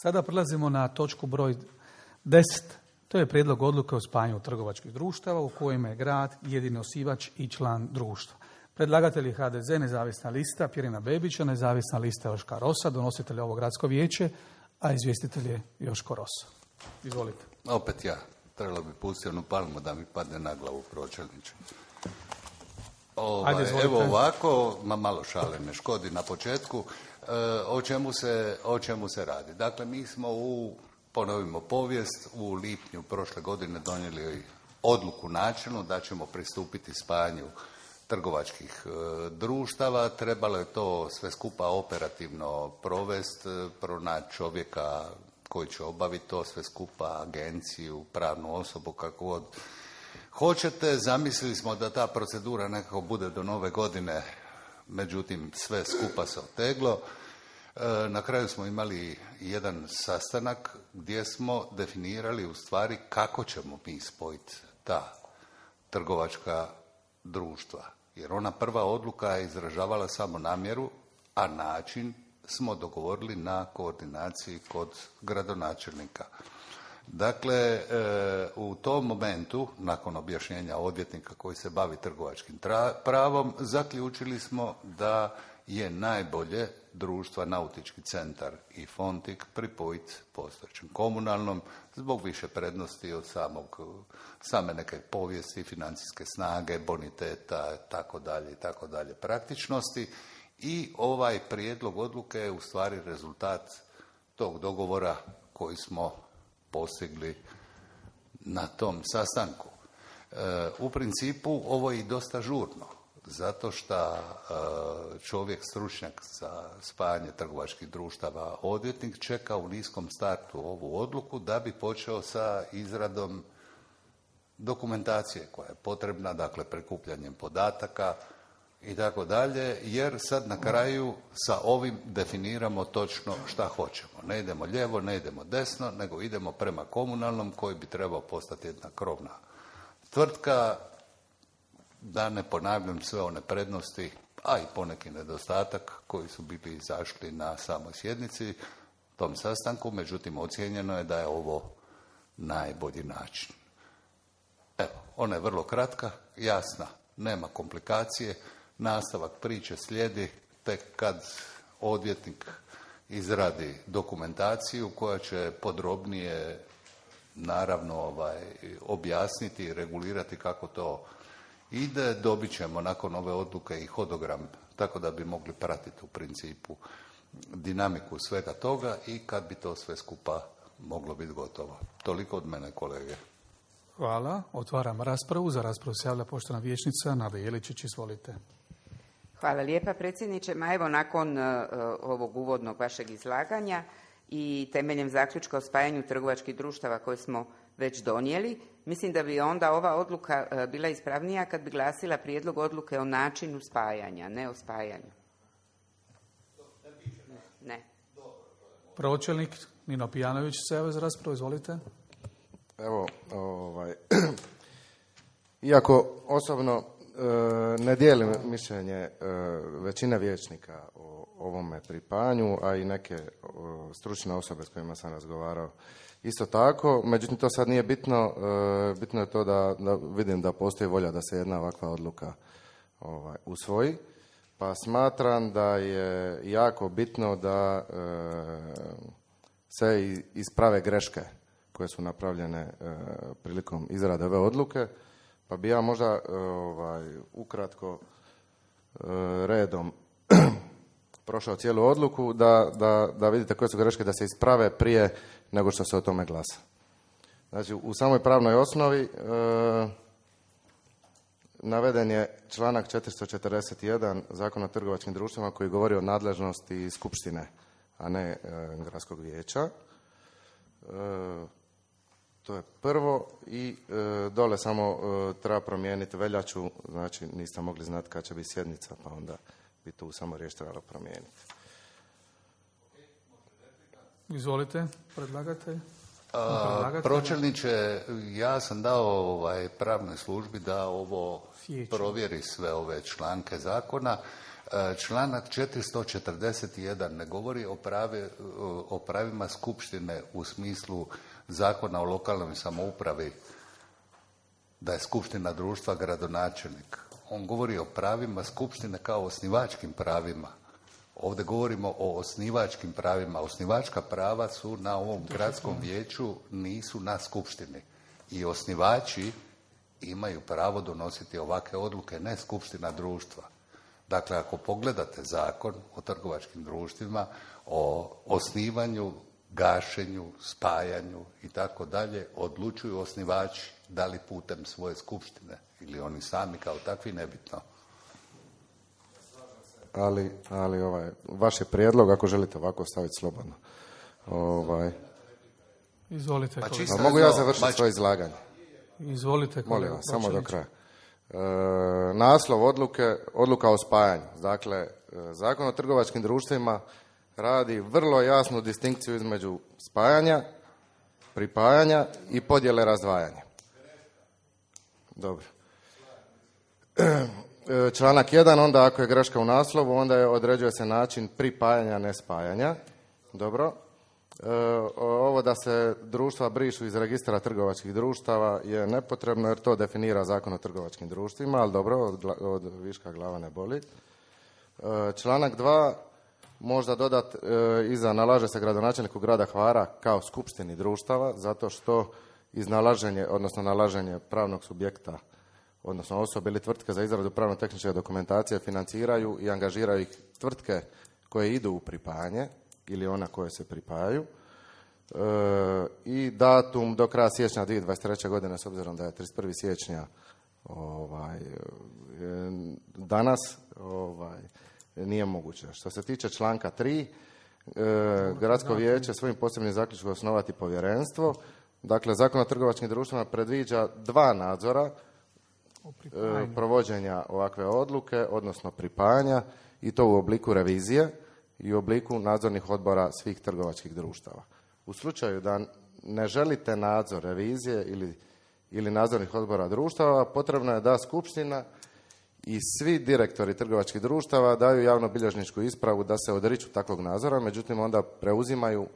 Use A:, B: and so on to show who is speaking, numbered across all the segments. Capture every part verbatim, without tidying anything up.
A: Sada prelazimo na točku broj deset. To je prijedlog odluke o spajanju trgovačkih društava u kojima je grad jedini osnivač i član društva. Predlagatelj je H D Z, nezavisna lista Pjerina Bebića, nezavisna lista Joška Rosa, donositelj ovo gradsko vijeće, a izvjestitelj je Joško Rosa. Izvolite.
B: Opet ja. Trebalo bi pustiti onu palmu da mi padne na glavu, pročelniče. Ovaj,
A: Ajde, izvolite.
B: Evo ovako, ma malo šale ne škodi na početku, e, o, čemu se, o čemu se radi. Dakle, mi smo u, ponovimo povijest, u lipnju prošle godine donijeli odluku načelnu da ćemo pristupiti spajanju trgovačkih e, društava. Trebalo je to sve skupa operativno provesti, pronaći čovjeka koji će obaviti to sve skupa, agenciju, pravnu osobu, kako god hoćete. Zamislili smo da ta procedura nekako bude do nove godine, međutim sve skupa se oteglo. E, na kraju smo imali jedan sastanak gdje smo definirali u stvari kako ćemo mi spojiti ta trgovačka društva. Jer ona prva odluka je izražavala samo namjeru, a način smo dogovorili na koordinaciji kod gradonačelnika. Dakle, e, u tom momentu, nakon objašnjenja odvjetnika koji se bavi trgovačkim tra- pravom, zaključili smo da je najbolje društva Nautički centar i Fontik pripojiti postojećem komunalnom zbog više prednosti od samog, same neke povijesti, financijske snage, boniteta, tako dalje, tako dalje, praktičnosti. I ovaj prijedlog odluke je u stvari rezultat tog dogovora koji smo postigli na tom sastanku. E, u principu ovo je i dosta žurno, zato što e, čovjek stručnjak za spajanje trgovačkih društava, odvjetnik, čeka u niskom startu ovu odluku da bi počeo sa izradom dokumentacije koja je potrebna, dakle prikupljanjem podataka i tako dalje, jer sad na kraju sa ovim definiramo točno šta hoćemo. Ne idemo lijevo, ne idemo desno, nego idemo prema komunalnom koji bi trebao postati jedna krovna tvrtka, da ne ponavljam sve one prednosti, a i poneki nedostatak koji su bili izašli na samoj sjednici, tom sastanku, međutim ocijenjeno je da je ovo najbolji način. Evo, ona je vrlo kratka, jasna, nema komplikacije. Nastavak priče slijedi tek kad odvjetnik izradi dokumentaciju koja će podrobnije naravno ovaj, objasniti i regulirati kako to ide. Dobit ćemo nakon ove odluke i hodogram, tako da bi mogli pratiti u principu dinamiku svega toga i kad bi to sve skupa moglo biti gotovo. Toliko od mene, kolege.
A: Hvala. Otvaram raspravu. Za raspravu se javlja poštovana vijećnica Nada Jeličić. Izvolite.
C: Hvala lijepa, predsjedniče. Ma evo, nakon uh, ovog uvodnog vašeg izlaganja i temeljem zaključka o spajanju trgovačkih društava koje smo već donijeli, mislim da bi onda ova odluka uh, bila ispravnija kad bi glasila prijedlog odluke o načinu spajanja, ne o spajanju. Ne.
A: Pročelnik Nino Pijanović se javlja za raspravu. Izvolite.
D: Evo, ovaj, iako osobno e, ne dijelim mišljenje e, većine vijećnika o ovome pripajanju, a i neke e, stručne osobe s kojima sam razgovarao isto tako, međutim to sad nije bitno, e, bitno je to da, da vidim da postoji volja da se jedna ovakva odluka ovaj, usvoji, pa smatram da je jako bitno da e, se isprave greške koje su napravljene e, prilikom izrade ove odluke, pa bi ja možda e, ovaj, ukratko e, redom prošao cijelu odluku da, da, da vidite koje su greške da se isprave prije nego što se o tome glasa. Znači, u samoj pravnoj osnovi e, naveden je članak četiristo četrdeset jedan Zakona o trgovačkim društvima koji govori o nadležnosti skupštine, a ne e, gradskog vijeća. E, To je prvo i e, dole samo e, treba promijeniti veljaču, znači niste mogli znati kad će biti sjednica, pa onda bi tu samo riječ trebalo promijeniti.
A: Izvolite, predlagatelj.
B: A, pročelniče, ja sam dao ovaj, pravnoj službi da ovo
A: Sjećam.
B: provjeri sve ove članke zakona. Članak četiristo četrdeset jedan ne govori o, pravi, o pravima skupštine u smislu Zakona o lokalnoj samoupravi, da je skupština društva gradonačelnik. On govori o pravima skupštine kao osnivačkim pravima. Ovdje govorimo o osnivačkim pravima. Osnivačka prava su na ovom gradskom vijeću, nisu na skupštini. I osnivači imaju pravo donositi ovakve odluke, ne skupština društva. Dakle, ako pogledate zakon o trgovačkim društvima, o osnivanju, gašenju, spajanju i tako dalje, odlučuju osnivači, da li putem svoje skupštine ili oni sami kao takvi, nebitno.
D: Ali, ali ovaj, vaš je prijedlog, ako želite ovako staviti slobodno. Ovaj.
A: Izvolite.
B: Pa
D: A mogu ja završiti
B: Mač...
D: svoje izlaganje?
A: Izvolite.
D: Molim vas, samo do kraja. E, naslov odluke, odluka o spajanju. Dakle, e, Zakon o trgovačkim društvima radi vrlo jasnu distinkciju između spajanja, pripajanja i podjele razdvajanja. Dobro. E, članak jedan, onda ako je greška u naslovu, onda je određuje se način pripajanja, ne spajanja. Dobro. E, ovo da se društva brišu iz registra trgovačkih društava je nepotrebno jer to definira Zakon o trgovačkim društvima, ali dobro, od, od viška glava ne boli. E, članak dva, možda dodat e, iza nalaže se gradonačelniku grada Hvara kao skupštini društava, zato što iznalaženje, odnosno nalaženje pravnog subjekta, odnosno osobe ili tvrtke za izradu pravno-tehničke dokumentacije financiraju i angažiraju ih tvrtke koje idu u pripajanje ili ona koje se pripajaju. E, I datum do kraja siječnja dvije tisuće dvadeset treće. godine, s obzirom da je trideset prvog siječnja ovaj, danas, ovaj, nije moguće. Što se tiče članka tri, e, gradsko vijeće svojim posebnim zaključkom osnovati povjerenstvo. Dakle, Zakon o trgovačkim društvima predviđa dva nadzora e, provođenja ovakve odluke, odnosno pripajanja, i to u obliku revizije i u obliku nadzornih odbora svih trgovačkih društava. U slučaju da ne želite nadzor revizije ili, ili nadzornih odbora društava, potrebno je da skupština i svi direktori trgovačkih društava daju javnobilježničku ispravu da se odriču takvog nadzora, međutim onda preuzimaju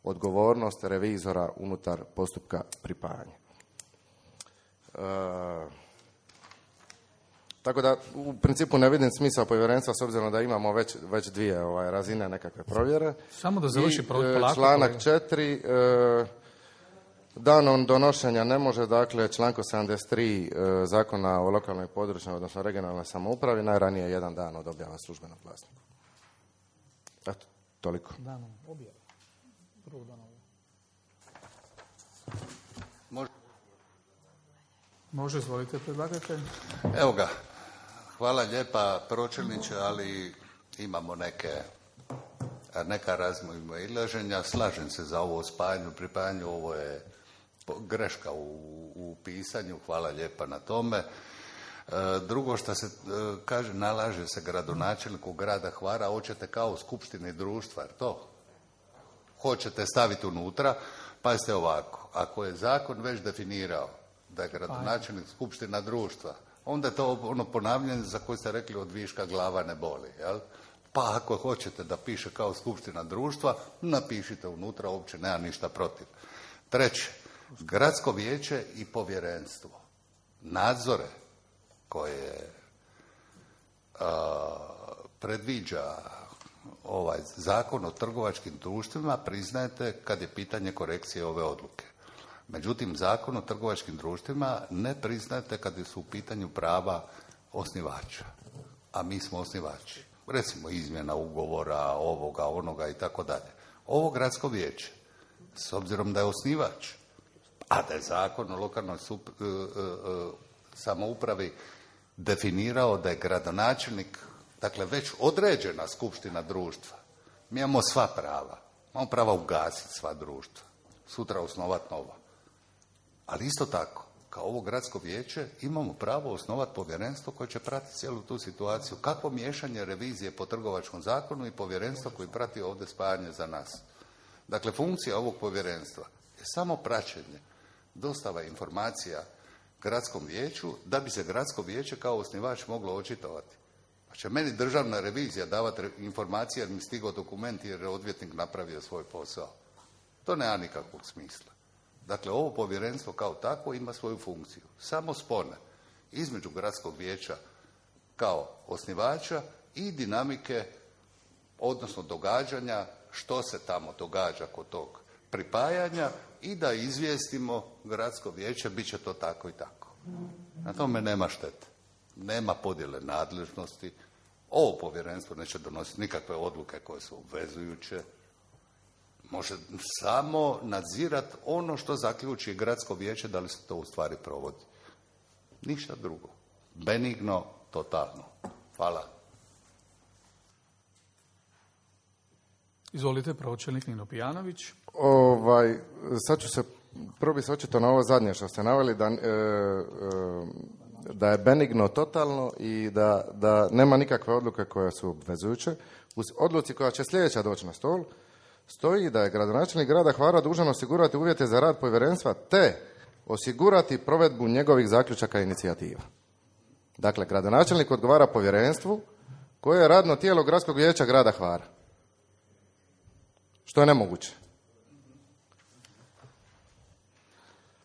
D: odgovornost revizora unutar postupka pripajanja. E, tako da u principu ne vidim smisao povjerenstva s obzirom da imamo već, već dvije ovaj, razine nekakve provjere.
A: Samo da završi
D: I,
A: polako.
D: Članak četiri. E, danom donošenja ne može, dakle, članku sedamdeset tri e, Zakona o lokalnoj i područnoj, odnosno regionalnoj samoupravi, najranije jedan dan od objava službenog glasnika. Eto, toliko.
A: Danom objave. Prvog dana objave.
B: Može.
A: Može, izvolite, predlagatelj.
B: Evo ga. Hvala lijepa, pročelniče, ali imamo neke, neka razmimoilaženja. Slažem se za ovo spajanju, pripajanju, ovo je greška u, u pisanju, hvala lijepa na tome. E, drugo što se e, kaže, nalaže se gradonačelniku grada Hvara, hoćete kao skupštini društva, jer to hoćete staviti unutra, pazite ovako, ako je zakon već definirao da je gradonačelnik skupština društva, onda je to ono ponavljanje za koje ste rekli od viška glava ne boli, jel? Pa ako hoćete da piše kao skupština društva, napišite unutra, uopće nema ništa protiv. Treće, gradsko vijeće i povjerenstvo. Nadzore koje a, predviđa ovaj Zakon o trgovačkim društvima priznajete kad je pitanje korekcije ove odluke. Međutim, Zakon o trgovačkim društvima ne priznajete kad su u pitanju prava osnivača, a mi smo osnivači. Recimo izmjena ugovora, ovoga, onoga i tako dalje. Ovo gradsko vijeće, s obzirom da je osnivač, a da je Zakon o lokalnoj sup, e, e, samoupravi definirao da je gradonačelnik, dakle već određena skupština društva, mi imamo sva prava. Imamo prava ugasiti sva društva, sutra osnovati nova. Ali isto tako, kao ovo gradsko vijeće, imamo pravo osnovati povjerenstvo koje će pratiti cijelu tu situaciju. Kakvo miješanje revizije po trgovačkom zakonu i povjerenstvo koji prati ovdje spajanje za nas. Dakle, funkcija ovog povjerenstva je samo praćenje, dostava informacija gradskom vijeću da bi se gradsko vijeće kao osnivač moglo očitovati. će meni državna revizija davati informacije jer mi stigao dokument jer je odvjetnik napravio svoj posao. To nema nikakvog smisla. Dakle, ovo povjerenstvo kao takvo ima svoju funkciju. Samo spone između gradskog vijeća kao osnivača i dinamike, odnosno događanja, što se tamo događa kod tog pripajanja i da izvijestimo gradsko vijeće, bit će to tako i tako. Na tome nema štete. Nema podjele nadležnosti. Ovo povjerenstvo neće donositi nikakve odluke koje su obvezujuće. Može samo nadzirati ono što zaključi gradsko vijeće da li se to u stvari provodi. Ništa drugo. Benigno, totalno. Hvala.
A: Izvolite, pročelnik Nino Pijanović.
D: Ovaj, sad ću se probiti očito na ovo zadnje što ste naveli, da, e, e, da je benigno totalno i da, da nema nikakve odluke koje su obvezujuće. U odluci koja će sljedeća doći na stol, stoji da je gradonačelnik grada Hvara dužan osigurati uvjete za rad povjerenstva te osigurati provedbu njegovih zaključaka i inicijativa. Dakle, gradonačelnik odgovara povjerenstvu koje je radno tijelo gradskog vijeća grada Hvara. Što je nemoguće.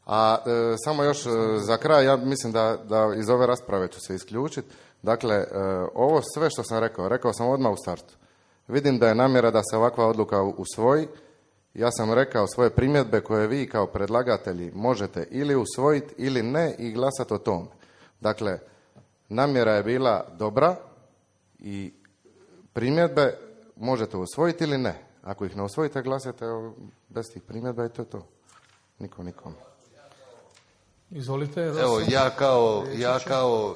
D: A e, samo još e, za kraj, ja mislim da, da iz ove rasprave ću se isključiti. Dakle, e, ovo sve što sam rekao, rekao sam odmah u startu. Vidim da je namjera da se ovakva odluka usvoji. Ja sam rekao svoje primjedbe koje vi kao predlagatelji možete ili usvojiti ili ne i glasati o tome. Dakle, namjera je bila dobra i primjedbe možete usvojiti ili ne. Ako ih ne usvojite, glasate bez tih primjedba i to je to. Niko nikom.
A: Izvolite.
B: Evo, ja kao, ja kao uh,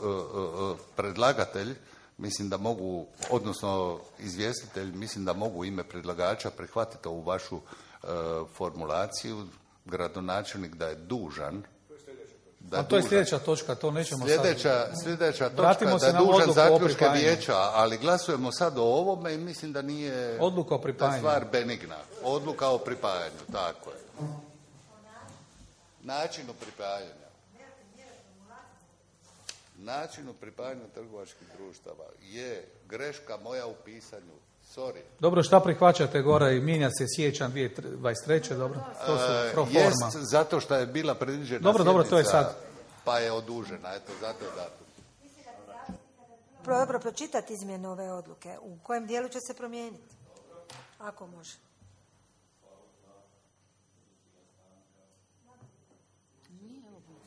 B: uh, uh, predlagatelj mislim da mogu, odnosno izvjestitelj, mislim da mogu u ime predlagača prihvatiti ovu vašu uh, formulaciju, gradonačelnik da je dužan. Da
A: A to je sljedeća točka, to nećemo
B: sljedeća,
A: sad...
B: Sljedeća
A: Vratimo
B: točka da je dužan zaključke vijeća, ali glasujemo sad o ovome i mislim da nije
A: odluka o pripajanju.
B: Stvar benigna. Odluka o pripajanju, tako je. Načinu pripajanja. Načinu pripajanja trgovačkih društava je greška moja u pisanju. Sorry.
A: Dobro, šta prihvaćate gore i mijenja se siječanj dvije tisuće dvadeset treće dobro? To su pro forma.
B: Jest zato što je bila predviđena
A: dobro, dobro, to je sad.
B: Pa je odužena, eto, zato je datum.
E: Dobro pročitati izmjene ove odluke. U kojem dijelu će se promijeniti? Ako može.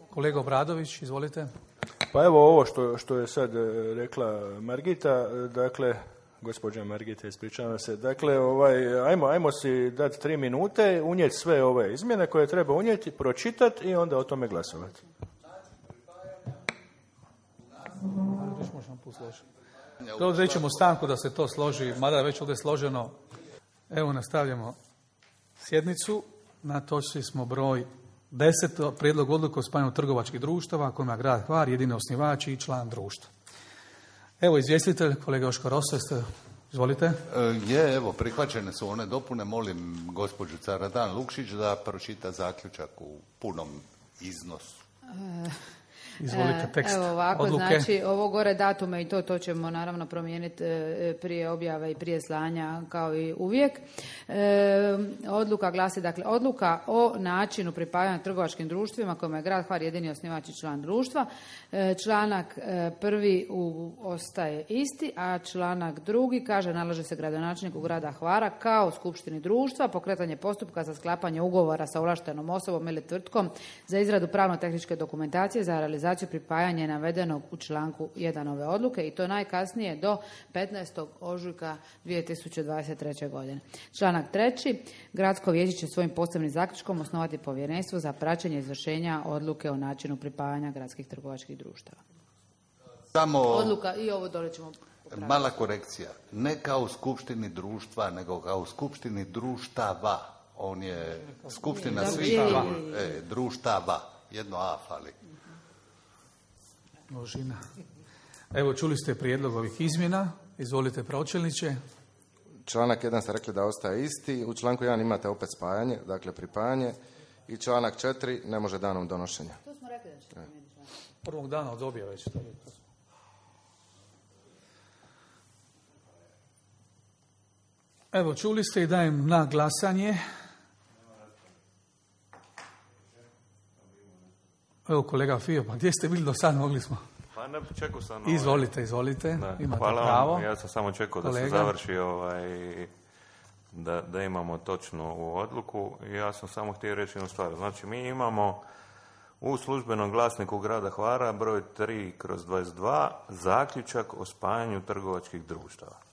A: Kolega Obradović, izvolite.
F: Pa evo ovo što, što je sad rekla Margita, dakle, gospođa Margita, ispričavam se, dakle, ovaj, ajmo, ajmo si dati tri minute, unijeti sve ove izmjene koje treba unijeti, pročitati i onda o tome glasovati.
A: Odreći ćemo stanku da se to složi, mada je već ovdje složeno. Evo, nastavljamo sjednicu. Na točci smo broj deset, prijedlog odluke o spajanju trgovačkih društava kojima grad Hvar jedini osnivač i član društva. Evo, izvjestitelj, kolega Joško Rosa, izvolite.
B: E, je, evo, prihvaćene su one dopune. Molim gospođu Caradan Lukšić da pročita zaključak u punom iznosu.
A: E... Izvolite, tekst
G: Evo ovako,
A: odluke.
G: Znači ovo gore datume i to, to ćemo naravno promijeniti prije objave i prije slanja kao i uvijek. E, odluka glasi, dakle, odluka o načinu pripajanja trgovačkim društvima kojima je grad Hvar jedini osnivač i član društva. E, članak e, prvi u, ostaje isti, a članak drugi kaže nalaže se gradonačelniku grada Hvara kao skupštini društva pokretanje postupka za sklapanje ugovora sa ovlaštenom osobom ili tvrtkom za izradu pravno-tehničke dokumentacije za realizaciju pripajanja navedenog u članku jedan ove odluke i to najkasnije do petnaestog ožujka dvije tisuće dvadeset treće. godine. Članak treći. Gradsko vijeće će svojim posebnim zaključkom osnovati povjerenstvo za praćenje izvršenja odluke o načinu pripajanja gradskih trgovačkih društava.
B: Samo
G: Odluka i ovo dole ćemo popraviti.
B: Mala korekcija. Ne kao skupštini društva, nego kao skupštini društava. On je skupština svih e, društava. Jedno A fali.
A: Množina. Evo, čuli ste prijedlog ovih izmjena. Izvolite, pročelniče.
D: Članak jedan ste rekli da ostaje isti. U članku jedan imate opet spajanje, dakle pripajanje. I članak četiri ne može danom donošenja.
G: To smo rekli da će promijeniti članak.
A: Prvog dana od objave će to biti. Evo, čuli ste i dajem na glasanje. Evo, kolega Fio, pa gdje ste bili do sad, mogli smo?
H: Pa ne, čekao sam...
A: Izvolite, izvolite,
H: da,
A: imate
H: hvala
A: pravo.
H: Vam. Ja sam samo čekao kolega. Da se završi ovaj, da, da imamo točno u odluku. Ja sam samo htio reći jednu stvar. Znači, mi imamo u službenom glasniku grada Hvara broj tri kroz dvadeset dva zaključak o spajanju trgovačkih društava.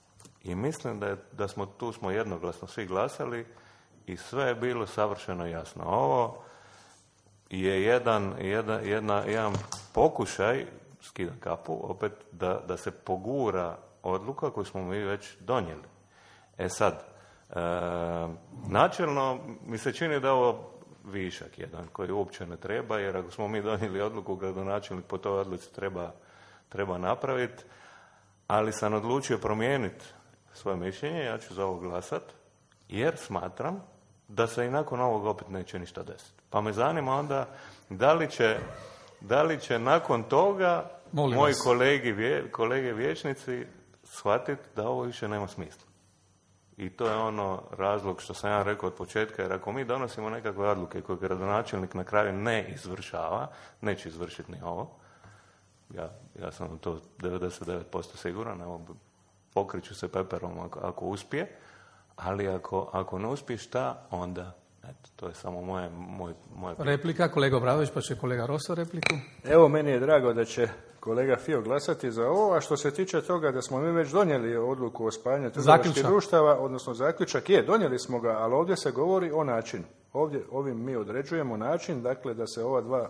H: I mislim da, je, da smo tu smo jednoglasno svi glasali i sve je bilo savršeno jasno. Ovo je jedan, jedan, jedna, jedan pokušaj, skidam kapu, opet da, da se pogura odluka koju smo mi već donijeli. E sad, e, načelno mi se čini da je ovo višak jedan koji uopće ne treba, jer ako smo mi donijeli odluku, gradonačelnik po toj odluci treba, treba napraviti, ali sam odlučio promijeniti svoje mišljenje, ja ću za ovo glasat, jer smatram da se i nakon ovog opet neće ništa desiti. Pa me zanima onda da li će, da li će nakon toga Molim moji kolegi, vje, kolege vijećnici shvatiti da ovo više nema smisla. I to je ono razlog što sam ja rekao od početka, jer ako mi donosimo nekakve odluke koje gradonačelnik na kraju ne izvršava, neće izvršiti ni ovo. Ja, ja sam to devedeset devet posto siguran, evo, pokriću se peperom ako, ako uspije, ali ako, ako ne uspije, šta onda? Eto, to je samo moje, moj, moje...
A: Replika, kolega Obradović, pa će kolega Roso repliku.
F: Evo, meni je drago da će kolega Fio glasati za ovo, a što se tiče toga da smo mi već donijeli odluku o spajanju trgovačkih društava, odnosno zaključak je, donijeli smo ga, ali ovdje se govori o načinu. Ovdje, ovim mi određujemo način, dakle, da se ova dva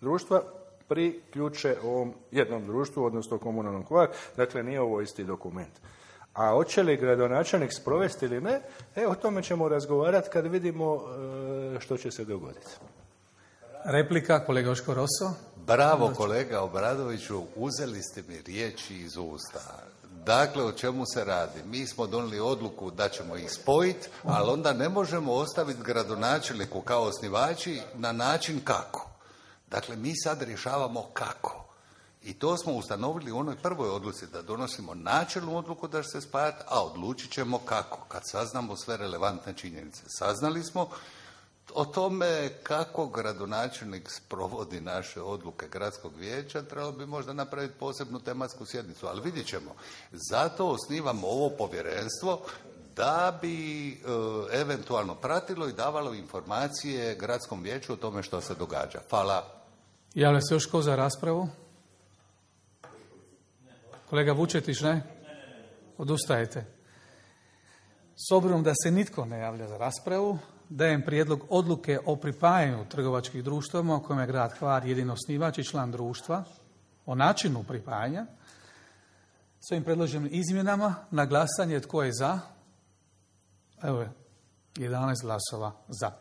F: društva priključe ovom jednom društvu, odnosno komunalnom Hvar, dakle, nije ovo isti dokument. A hoće li gradonačelnik sprovesti ili ne, e, o tome ćemo razgovarati kad vidimo e, što će se dogoditi.
A: Replika, kolega Oško Roso.
B: Bravo, kolega Obradoviću, uzeli ste mi riječi iz usta. Dakle, o čemu se radi? Mi smo donijeli odluku da ćemo ih spojiti, ali onda ne možemo ostaviti gradonačelniku kao osnivači na način kako. Dakle, mi sad rješavamo kako. I to smo ustanovili u onoj prvoj odluci, da donosimo načelnu odluku da će se spajati, a odlučit ćemo kako, kad saznamo sve relevantne činjenice. Saznali smo o tome kako gradonačelnik sprovodi naše odluke gradskog vijeća, trebalo bi možda napraviti posebnu tematsku sjednicu, ali vidjet ćemo. Zato osnivamo ovo povjerenstvo da bi e, eventualno pratilo i davalo informacije gradskom vijeću o tome što se događa. Hvala.
A: Javlja se još ko za raspravu? Kolega Vučetić, ne? Odustajete. S obzirom da se nitko ne javlja za raspravu, dajem prijedlog odluke o pripajanju trgovačkih društava u kojem je grad Hvar jedini osnivač i član društva, o načinu pripajanja. S ovim predloženim izmjenama na glasanje tko je za? Evo je, jedanaest glasova za.